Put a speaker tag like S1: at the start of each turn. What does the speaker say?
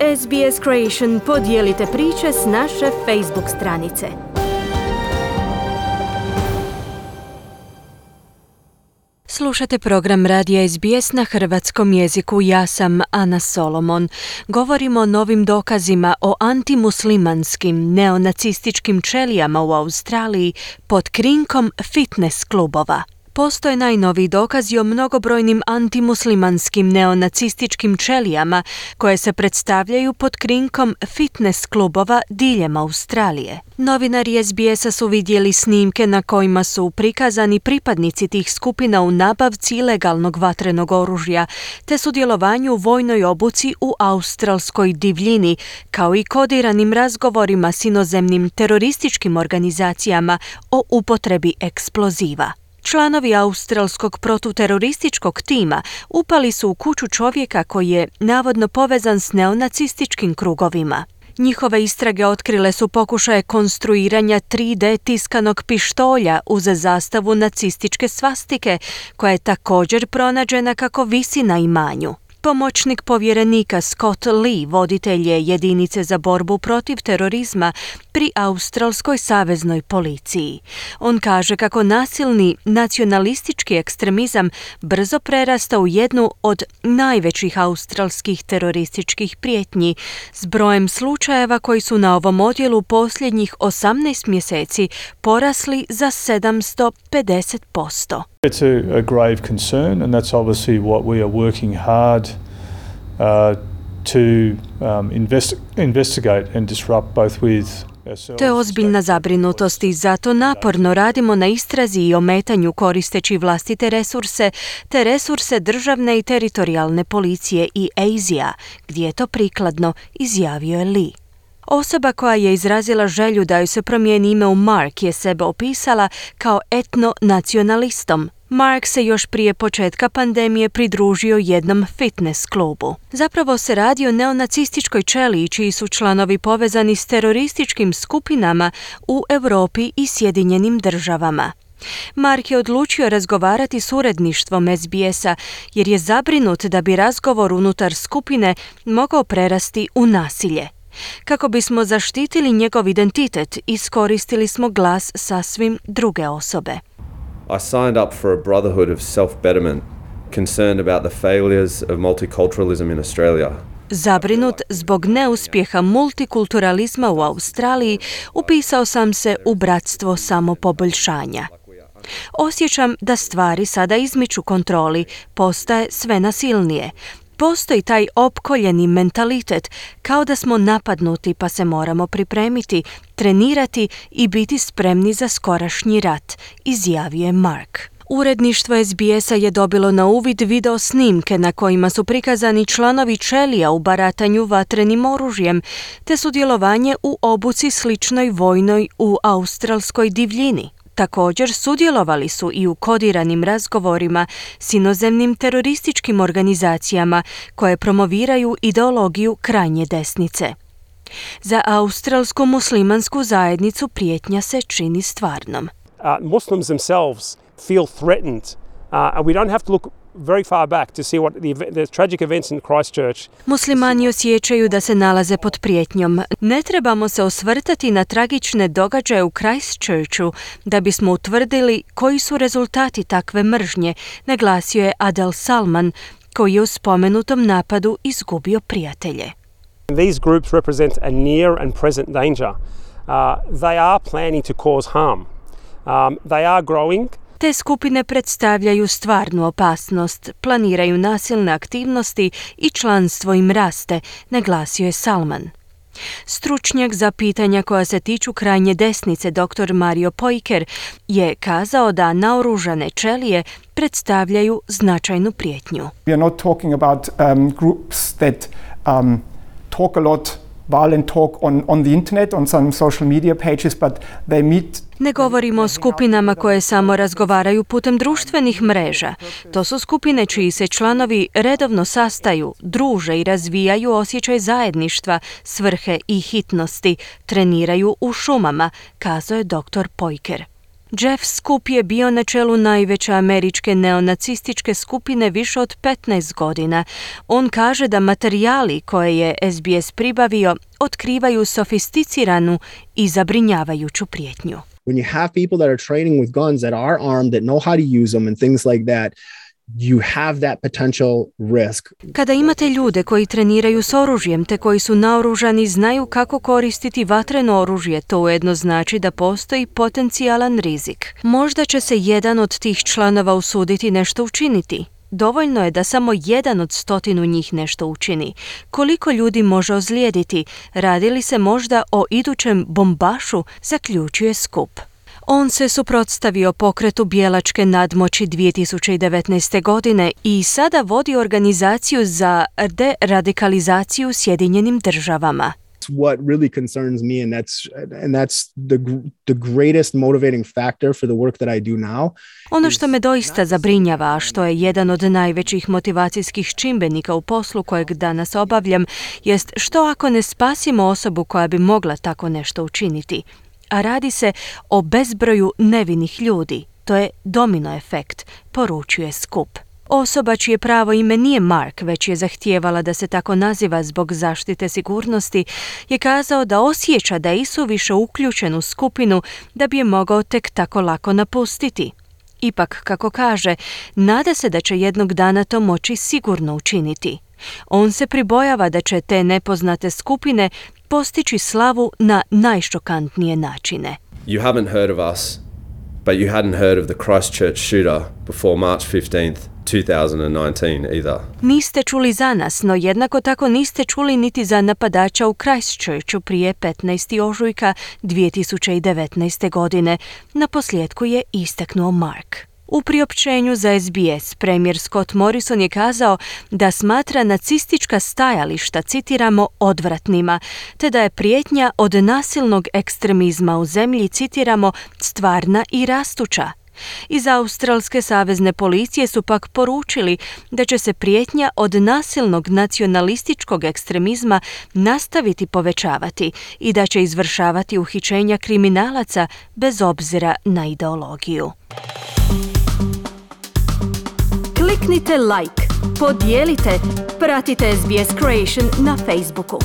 S1: SBS Creation podijelite priče s naše Facebook stranice. Slušate program radija SBS na hrvatskom jeziku. Ja sam Ana Solomon. Govorimo o novim dokazima o antimuslimanskim neonacističkim ćelijama u Australiji pod krinkom fitness klubova. Postoje najnoviji dokazi o mnogobrojnim antimuslimanskim neonacističkim ćelijama koje se predstavljaju pod krinkom fitness klubova diljem Australije. Novinari SBS-a su vidjeli snimke na kojima su prikazani pripadnici tih skupina u nabavci ilegalnog vatrenog oružja te sudjelovanju u vojnoj obuci u australskoj divljini, kao i kodiranim razgovorima s inozemnim terorističkim organizacijama o upotrebi eksploziva. Članovi australskog protuterorističkog tima upali su u kuću čovjeka koji je navodno povezan s neonacističkim krugovima. Njihove istrage otkrile su pokušaje konstruiranja 3D tiskanog pištolja uz zastavu nacističke svastike, koja je također pronađena kako visi na imanju. Pomoćnik povjerenika Scott Lee voditelj je jedinice za borbu protiv terorizma pri australskoj saveznoj policiji. On kaže kako nasilni nacionalistički ekstremizam brzo prerasta u jednu od najvećih australskih terorističkih prijetnji, s brojem slučajeva koji su na ovom odjelu posljednjih 18 mjeseci porasli za 750%.
S2: It's a grave concern, and that's obviously what we are working hard to investigate and disrupt both with ourselves.
S1: To je ozbiljna zabrinutost i zato naporno radimo na istrazi i ometanju koristeći vlastite resurse te resurse državne i teritorijalne policije i ASIA, gdje je to prikladno, izjavio je Lee. Osoba koja je izrazila želju da joj se promijeni ime u Mark je sebe opisala kao etno-nacionalistom. Mark se još prije početka pandemije pridružio jednom fitness klubu. Zapravo se radi o neonacističkoj ćeliji čiji su članovi povezani s terorističkim skupinama u Europi i Sjedinjenim državama. Mark je odlučio razgovarati s uredništvom SBS-a jer je zabrinut da bi razgovor unutar skupine mogao prerasti u nasilje. Kako bismo zaštitili njegov identitet, iskoristili smo glas sasvim druge osobe.
S3: I signed up for a brotherhood of self-betterment, concerned about the failures of multiculturalism in Australia.
S1: Zabrinut zbog neuspjeha multikulturalizma u Australiji, upisao sam se u bratstvo samopoboljšanja. Osjećam da stvari sada izmiču kontroli, postaje sve nasilnije. Postoji taj opkoljeni mentalitet, kao da smo napadnuti pa se moramo pripremiti, trenirati i biti spremni za skorašnji rat, izjavio je Mark. Uredništvo SBS-a je dobilo na uvid video snimke na kojima su prikazani članovi ćelija u baratanju vatrenim oružjem, te sudjelovanje u obuci sličnoj vojnoj u australskoj divljini. Također sudjelovali su i u kodiranim razgovorima s inozemnim terorističkim organizacijama koje promoviraju ideologiju krajnje desnice. Za australsku muslimansku zajednicu prijetnja se čini stvarnom.
S4: Muslims themselves feel threatened, and we don't have to look very far back to see what the tragic events in Christchurch.
S1: Muslimani osjećaju da se nalaze pod prijetnjom. Ne trebamo se osvrtati na tragične događaje u Christchurchu da bismo utvrdili koji su rezultati takve mržnje, naglasio je Adel Salman, koji je u spomenutom napadu izgubio prijatelje.
S4: These groups represent a near and present danger. They are planning to cause harm. They are growing.
S1: Te skupine predstavljaju stvarnu opasnost, planiraju nasilne aktivnosti i članstvo im raste, naglasio je Salman. Stručnjak za pitanja koja se tiču krajnje desnice dr. Mario Poiker je kazao da naoružane ćelije predstavljaju značajnu prijetnju.
S5: We are not talking about groups that talk a lot violent talk on the internet, on some social media pages, but they meet.
S1: Ne govorimo o skupinama koje samo razgovaraju putem društvenih mreža. To su skupine čiji se članovi redovno sastaju, druže i razvijaju osjećaj zajedništva, svrhe i hitnosti, treniraju u šumama, kazao je dr. Poiker. Jeff Scoop je bio na čelu najveće američke neonacističke skupine više od 15 godina. On kaže da materijali koje je SBS pribavio otkrivaju sofisticiranu i zabrinjavajuću prijetnju.
S6: When you have people that are training with guns that are armed, that know how to use them and things like that, you have that potential risk.
S1: Kada imate ljude koji treniraju s oružjem te koji su naoružani, znaju kako koristiti vatreno oružje, to ujedno znači da postoji potencijalan rizik. Možda će se jedan od tih članova usuditi nešto učiniti. Dovoljno je da samo 1 od 100 njih nešto učini. Koliko ljudi može ozlijediti? Radi li se možda o idućem bombašu, zaključuje Scoop. On se suprotstavio pokretu bijelačke nadmoći 2019. godine i sada vodi organizaciju za deradikalizaciju u Sjedinjenim Državama.
S6: What really concerns me, and that's the greatest motivating factor for the work that I do now.
S1: Ono što me doista zabrinjava, a što je jedan od najvećih motivacijskih čimbenika u poslu kojeg danas obavljam, jest što ako ne spasimo osobu koja bi mogla tako nešto učiniti. A radi se o bezbroju nevinih ljudi. To je domino efekt, poručuje Scoop. Osoba čije pravo ime nije Mark, već je zahtijevala da se tako naziva zbog zaštite sigurnosti, je kazao da osjeća da je isuviše uključen u skupinu da bi je mogao tek tako lako napustiti. Ipak, kako kaže, nada se da će jednog dana to moći sigurno učiniti. On se pribojava da će te nepoznate skupine postići slavu na najšokantnije načine.
S3: You haven't heard of us, but you hadn't heard of the Christchurch shooter before March 15th, 2019 either.
S1: Niste čuli za nas, no jednako tako niste čuli niti za napadača u Christchurchu prije 15. ožujka 2019. godine. Naposljetku je istaknuo Mark. U priopćenju za SBS premijer Scott Morrison je kazao da smatra nacistička stajališta, citiramo, odvratnima, te da je prijetnja od nasilnog ekstremizma u zemlji, citiramo, stvarna i rastuća. Iz Australske savezne policije su pak poručili da će se prijetnja od nasilnog nacionalističkog ekstremizma nastaviti povećavati i da će izvršavati uhićenja kriminalaca bez obzira na ideologiju. Kliknite like, podijelite, pratite SBS Creation na Facebooku.